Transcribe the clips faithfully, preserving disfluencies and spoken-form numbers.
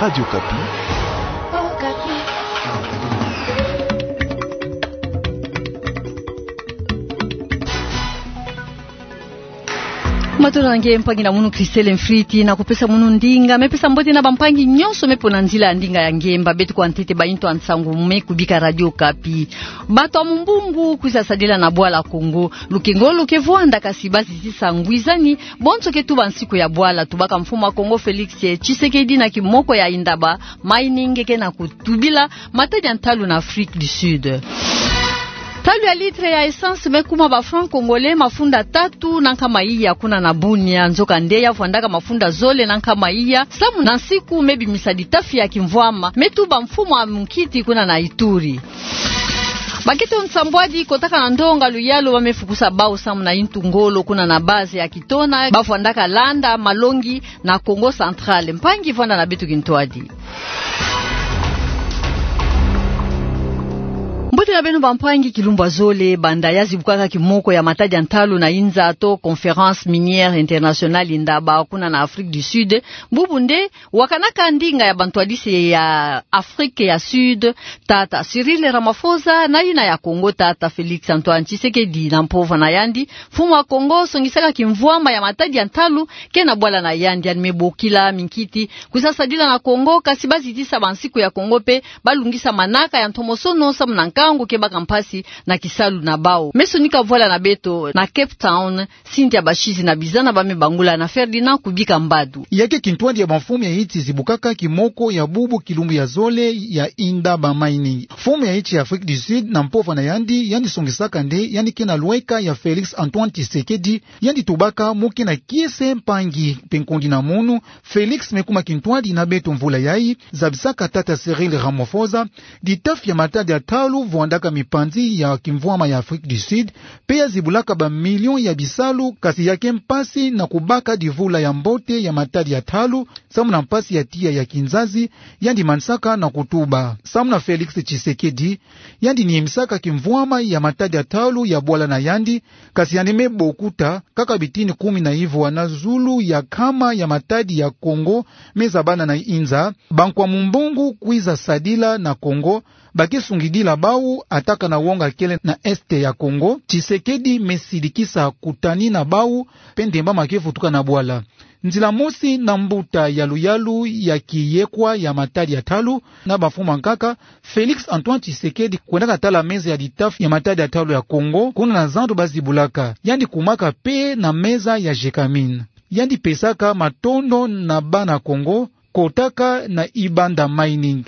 Radio Okapi. Matondo na nge mpangi na munu Christelle Mfriti, na kupesa munu ndinga. Me pesa mbote na bampangi nyonso me pona nzila ya ndinga ya nge. Mba beto kwa ntete bainto ya nsangu me kubika Radio Okapi. Bato ya mumbungu kwiza sadila na bwala Kongo. Lukengolo ke vwanda kasi bazizi sa ngwizani bonso ke tuba nsiku ya bwala. Tubaka mfumu wa Kongo Félix Tshisekedi na kimoko ya Indaba Mining ke na kutubila matadi ya ntalu na Afrique du Sud. Ntalu ya litre ya essence me kuma ba francs congolais mafunda tatu na nkama iya kuna na Bunia. Nzokande ya vwandaka mafunda zole na nkama iya samu na nsiku me bimisa ditafi ya kimvwama, me tuba mfumu wa munkiti kuna na Ituri. Bakento nsambwadi kotaka na ndonga luyalu ba me fukusa bau samu na intu ngolo kuna na base ya Kitona, ba vwandaka landa malongi na Kongo Central. Mpangi vwanda na beto kintwadi. Mbote na beno bampangi, kilumbu ya zole banda ya zibukaka kimoko ya matadi ya ntalu na inza to Conférence Minière Internationale Indaba kuna na Afrique du Sud. Bubu nde wakanaka ndinga ya bantwadisi ya Afrique ya Sud, tata Cyril Ramaphosa, na yina ya Kongo, tata Félix Antoine Tshisekedi. Na mpova na yandi, mfumu wa Kongo songisaka kimvwama ya matadi ya ntalu ke na bwala na yandi. Yandi me bokila minkiti kwiza sadila na Kongo, kasi bazitisa bansiku ya Kongo mpe balungisa manaka ya ntomosono samu na nkangu ke baka mpasi na kisalu na bau. Me sonika vwala na beto na Cape Town, Cynthia Bashizi na Bizana ba me bangula na Ferdinand Kubika Mbadu. Ya ke kintwadi ya bamfumu ya insi zibukaka kimoko ya bubu kilumbu ya zole ya Indaba Mining. Mfumu ya insi ya Afrique du Sud na mpova na yandi, yandi songisaka nde yandi ke na lweka ya Félix Antoine Tshisekedi. Yandi tubaka: Mu ke na kiese, mpangi mpe nkondi na munu. Félix me kuma kintwadi na beto mvula yayi, zabisaka tata Cyril Ramaphosa ditafi ya matadi ya ntalu vwandaka mipanzi ya kimvwama ya Afrique du Sud, mpe ya zibulaka ba millions ya bisalu, kasi ya ke mpasi na kubaka divula ya mbote ya matadi ya ntalu samu na mpasi ya tiya ya kinzazi. Yandi manisaka na kutuba. Samu na Félix Tshisekedi, yandi niemisaka kimvwama ya matadi ya ntalu ya bwala na yandi, kasi yandi me bokuta kaka bitini kumi na ivwa na zulu ya nkama ya matadi ya Kongo me zabana na inza. Bankwa mumbungu kwiza sadila na Kongo ba ke sungidila bau, ataka na wonga kele na Est ya Kongo. Tshisekedi me sidikisa kutani na bau, mpe ndemba ma ke vutuka na bwala. Nzila mosi na mbuta ya luyalu ya kiyekwa ya matadi ya ntalu na bamfumu bankaka, Félix Antoine Tshisekedi kwendaka tala meza ya ditafi ya matadi ya ntalu ya Kongo, kuna na zandu ba zibulaka. Yandi kumaka mpe na meza ya Gécamines. Yandi pesaka matondo na bana Kongo, kotaka na Indaba Mining.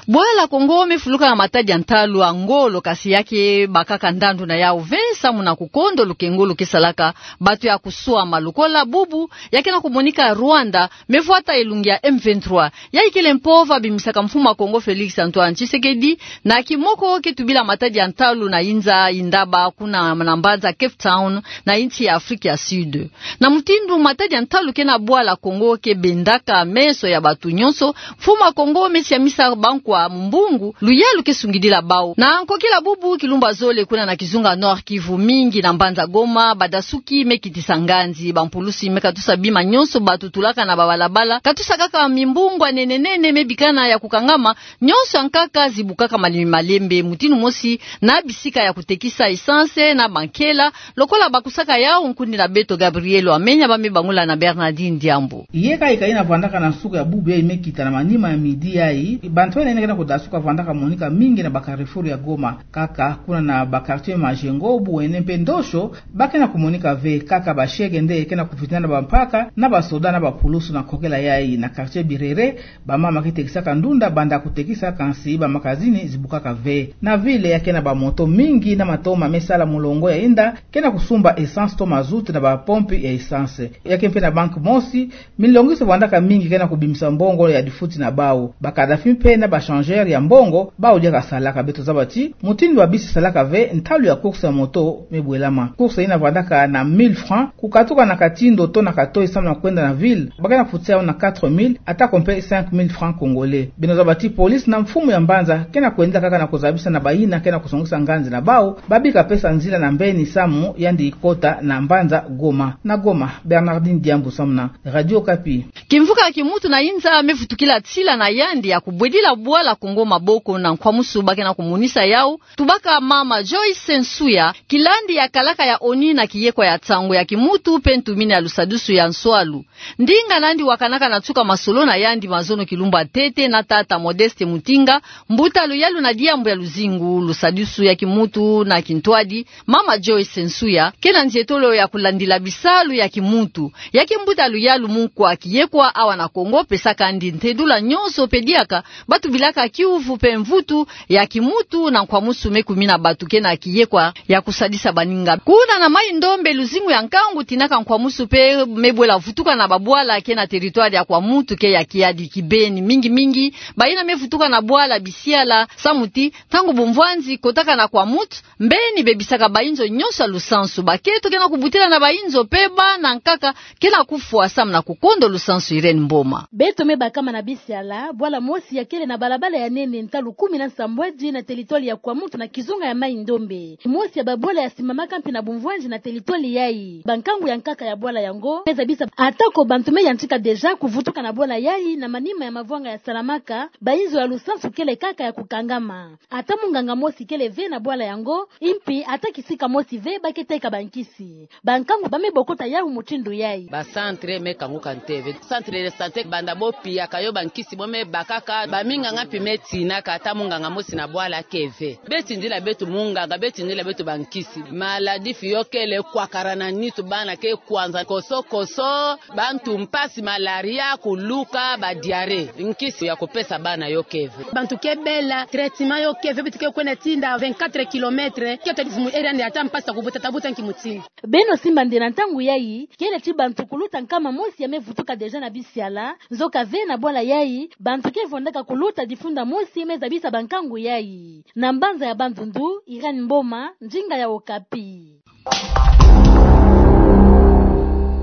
Bwala Kongo me fuluka na matadi ya ntalu ya ngolo, kasi ya ke bakaka ndandu na yau ve samu na kukondo lukengolo ke salaka bato ya kuswama. Lokola bubu ya ke na kumonika Rwanda me vwata elungi ya M vingt-trois. Yayi kele mpova bimisaka mfumu wa Kongo Félix Antoine Tshisekedi na kimoko ke tubila matadi ya ntalu na inza Indaba kuna na mbanza Cape Town na insi ya Afrique ya Sud. Na mutindu matadi ya ntalu ke na bwala Kongo ke bendaka meso ya bato nyonso, mfumu wa Kongo me siamisa bankwa mumbungu luyalu ke sungidila bau. Na nkokila bubu kilumbu ya zole kuna na kizunga Nord-Kivu, mingi na mbanza Goma, badasuki me kitisa nganzi. Bampulusi me katusa bima nyonso bato tulaka na babalabala, katusa kaka mimbungu ya nene nene me bikana ya kukangama, nyonso ya nkaka zibukaka malembe malembe. Mutindu mosi na bisika ya kutekisa essence na bankela, lokola bakusaka yau, nkundi na beto Gabriel Wamenya ba me bangula na Bernardine Diambu. Ye ka ika ina vandaka na nsuka ya bubu yayi me kita na manima ya midi yayi, bantu ya nene ke na kudasuka vandaka monika mingi na ba carrefour ya Goma. Kaka kuna na ba quartier Majengo, Buene mpe Ndosho, ba ke na kumonika ve. Kaka ba shege nde ke na kuvitina na bampaka na basoda na bapulusu. Na nkokila yayi, na quartier Birere, bamama ke tekisaka ndunda banda kutekisa, kansi ba magazini zibukaka ve. Na ville ya ke na bamoto mingi na matoma me sala mulongo ya inda, ke na kusumba essence to mazout na bapompi ya essence. Ya ke mpe na banque mosi, milongiso vandaka mingi ke na kubimisa mbongo ya difuti na bau. Ba Kadhafi mpe na ba changeur ya mbongo, bau diaka salaka. Beto zaba ti mutindu ba bisi salaka ve, ntalu ya course ya moto Mebwelama. Course ina vandaka na mille francs, kukatuka na kati ndoto na katoi samu na kwenda na ville, ba ke na futa yawu na quatre mille, atako mpe cinq mille francs congolais. Beno zaba ti police na mfumu ya mbanza ke na kwendela kaka na kuzabisa na bayina ke na kusongisa nganzi na bawu, ba bika pesa nzila na mbeni samu yandi ikota na mbanza Goma. Na Goma, Bernardine Diambu samu na Radio Okapi. Kimvuka ya kimuntu na inza mevutukila tila na yandi ya kubwedila bwala Kongo maboko na nkwamusu ba ke na kumonisa yawu, tubaka mama Joyce Nsuya, kilandi ya kalaka ya ONU na kiyekwa ya nsangu ya kimuntu mpe ntumini ya lusadusu ya nswalu. Ndinga nandi wakanaka na nsuka masolo na yandi mazono kilumbu ya ntete na tata Modeste Mutinga, mbuta luyalu na diambu ya luzingu, lusadusu ya kimuntu na kintwadi, mama Joyce Nsuya ke na nzietolo ya kulandila bisalu ya kimuntu. Ya kimbuta luyalu mu nkwa kiyekwa awa na Kongo, pesaka ndi ntedula nyonso mpe diaka ba tubilaka kiuvu mpe mvutu ya kimuntu na nkwamusu me kumina bantu ke na kiyekwa ya kusadisa baninga. Kuna na Mai-Ndombe, luzingu ya nkangu tinaka nkwamusu mpe mebwela vutuka na babwala ke na territoire ya Kwamouth ke ya kiadi kibeni. Mingi mingi bayina mevutuka na bwala Bisiala samu ti ntangu bumvwanzi kotaka na Kwamouth, mbeni bebisaka bayinzo nyonso ya lusansu. Bakento ke na kubutila na bayinzo mpe bana nkaka ke na kufwa samu na kukondo lusansu. Irène Mboma. Beto mebakama na Bisiala, bwala mosi ya kele na balabala ya nene ntalu kumi na nsambwadi na territoire ya Kwamouth na kizunga ya Mai-Ndombe. Mosi ya babwala ya simamaka mpe na bumvwanzi na territoire yayi. Bankangu ya nkaka ya bwala yango me zabisa atako bantu me yantika déjà kuvutuka na bwala yayi na manima ya mavwanga ya salamaka, bayinzo ya lusansu kele kaka ya kukangama. Ata munganga mosi kele ve na bwala yango, mpe ata kisika mosi ve ba ke teka bankisi. Bankangu ba me bokota yawu mutindu yayi. Ba centre me kanguka ntete ve. Centre de santé, banda bo piyaka yo bankisi bo me bakaka, baminganga mpe me tinaka, ata munganga mosi na bwala ke ve. Be tindila beto munganga, be tindila beto bankisi. Maladie fioti kele kwakara na nitu, bana ke kwanza koso koso, bantu mpasi, malaria, kuluka, ba diarrhée. Nkisi ya kupesa bana yo ke ve. Bantu ke bela, traitement yo ke ve, beto ke kwenda tinda vingt-quatre kilomètres, ke tadi vumu area nde ata mpasi ta kubuta, ta buta nki mutindu. Beno simba nde na ntangu yayi, kele ti bantu kuluta nkama mosi ya mevutuka déjà na Bisiala, nzoka ve na bwala yayi, bantu ke vwandaka kuluta difunda mosi me zabisa bankangu yayi. Na mbanza ya Bandundu, Irène Mboma, ndinga ya Okapi.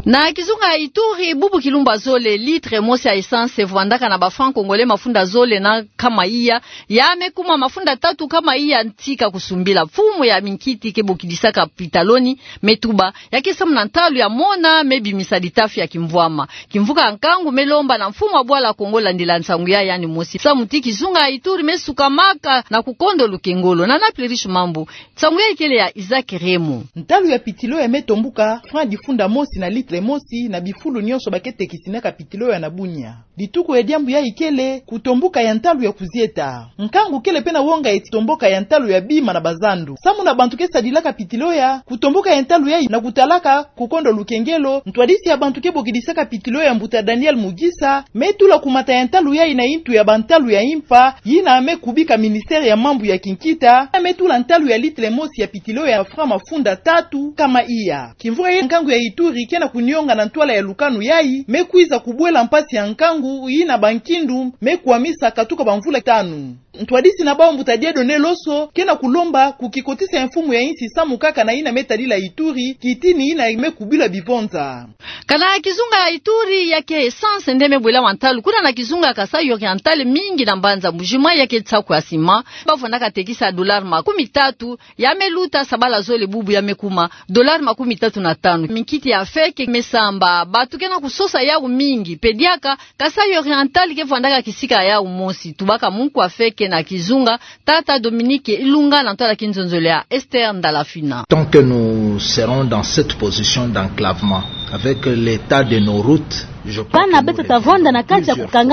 Na kizunga ya Ituri, bubu kilumbu ya zole, litre mosi ya essence vwandaka na ba francs congolais mafunda zole na nkama iya, ya me kuma mafunda tatu nkama iya ntika kusumbila. Mfumu ya minkiti ke bokidisaka pitaloni me tuba, ya ke samu na ntalu ya mona me bimisa litafi ya kimvwama. Kimvuka ya nkangu me lomba na mfumu ya bwala Kongo landila nsangu ya yandi mosi, samu ti kizunga ya Ituri me sukamaka na kukondo lukengolo. Na Naples Riche Mambu, nsangu yayi kele ya Isaac Remo. Ntalu ya pitilo ya me tombuka, franc difunda mosi na litre mosi na bifulu nyonso ba ke tekisinaka pitilo ya na Bunia. Lituku ya diambu yayi kele kutombuka ya ntalu ya kuzieta. Nkangu kele mpe na wonga eti tomboka ya ntalu ya bima na bazandu. Samu na bantu ke sadilaka pitilo ya, kutomboka ya ntalu yayi na kutalaka kukondo lukengolo, ntwadisi ya bantu ke bokidisaka pitilo ya mbuta Daniel Mugisa, me tula kumata ya ntalu yayi na intu ya bantalu ya impa, yina me kubika ministère ya mambu ya kinkita, me tula ntalu ya litre mosi ya pitilo ya franc mafunda tatu nkama iya. Kimvuka ya nkangu ya Ituri ke na kunionga na ntwala ya lukanu yayi, me kwiza kubwela mpasi ya nkangu, yina bankindu me kwamisa katuka bamvula tanu. Ntwadisi na bawu mbuta Dieudonné Loso ke na kulomba kukikotisa ya mfumu ya insi samu kaka na yina me tadila Ituri, kitini yina me kubila bivonza. Kana kizunga ya Ituri ya ke essence nde me bwela wa ntalu. Kuna na kizunga ya Kasaï Oriental, mingi na mbanza Mbuji-Mayi ya ke nsaku ya ciment ba vwandaka tekisa dollar makumi tatu, ya me luta sabala zole bubu ya me kuma dollar makumi tatu na tanu. Minkiti ya feke me samba, bantu ke na kusosa yawu mingi. Mpe diaka, Kasaï Oriental ke vwandaka kisika yawu mosi. Tubaka munkwa feke na kizunga, tata Dominique Ilunga, na ntwala kinzonzolo ya Esther Ndalafina. Tant que nous serons dans cette position d'enclavement, avec l'état de nos routes, je crois que nous reviendrons plusieurs fois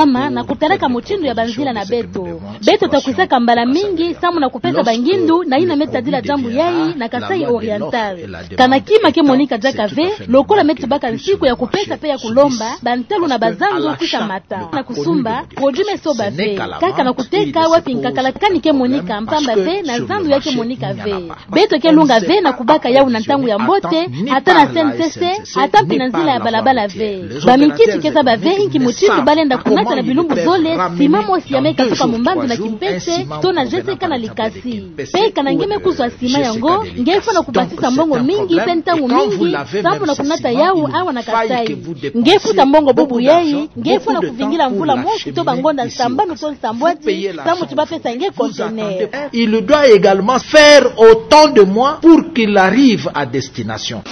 pour développer ce que nous devons. Beto ta kwisaka mbala mingi samu na kupesa bangindu na yina me tadila diambu yayi na Kasaï Oriental. Kana kima ke monika diaka ve, lokola me tubaka nsiku ya kupesa mpe ya kulomba, bantalu na bazandu kwisa mata na kusumba produit me soba ve, kaka na kuteka wapi nkakala kani ke monika, mpamba ve na zandu ya ke monika ve. Beto ke lunga ve na kubaka yawu na ntangu ya mbote, ata na C N C C, ata Ti na nzila ya balabala ve. Bamikitu ke zaba ve inki mutindu balenda kunata na bilumbu zole sima mosi ya me katuka mumbandu na kimpese, tona zese kana likasi. Pe kana nge me kuzwa sima yango, nge fwana kubasisa mbongo mingi pe ntangu mingi, sambu na kunata yau awa na Kasaï. Nge futa mbongo bubu yai, nge fwana kuvingila mvula mosi to bangonda sambanu to nsambwadi, sambu ti bapesa nge conteneur. Il doit également faire autant de mois pour qu'il arrive à destination.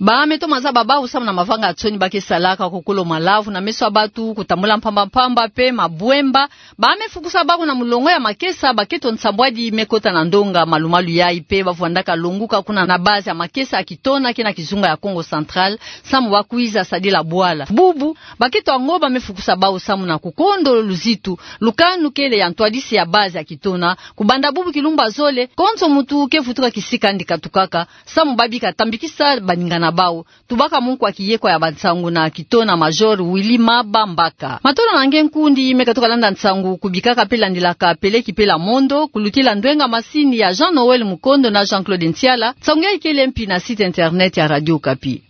Ba me toma zaba bau samu na mavanga nsoni ba ke salaka ko kolo malavu na meso ya batu, kutambula mpamba mpamba pe mabwemba. Ba me fukusa bau na mulongo ya makesa, baketo nsambwadi me kota na ndonga, malumalu yai pe ba vwandaka longuka kuna na base ya makesa ya Kitona ke na kizunga ya Kongo Central, samu ba kwiza sadila bwala. Bubu, baketo yango ba me fukusa bau samu na kukondo luzitu, lukanu kele ya ntwadisi ya base ya Kitona, kubanda bubu kilumbu ya zole, konso muntu ke vutuka kisika yandi katukaka, samu ba bika tambikisa baninga na bau. Tubaka munkwa kiyekwa ya bansangu na Kitona, Major Willy Maba Mbaka. Matondo na nge nkundi me katuka landa nsangu, kubikaka pe landilaka peleki pe la mondo, kulutila ndwenga masini ya Jean Noël Mukondo na Jean-Claude Ntiala, nsangu yai kele mpi na site internet ya Radio Okapi.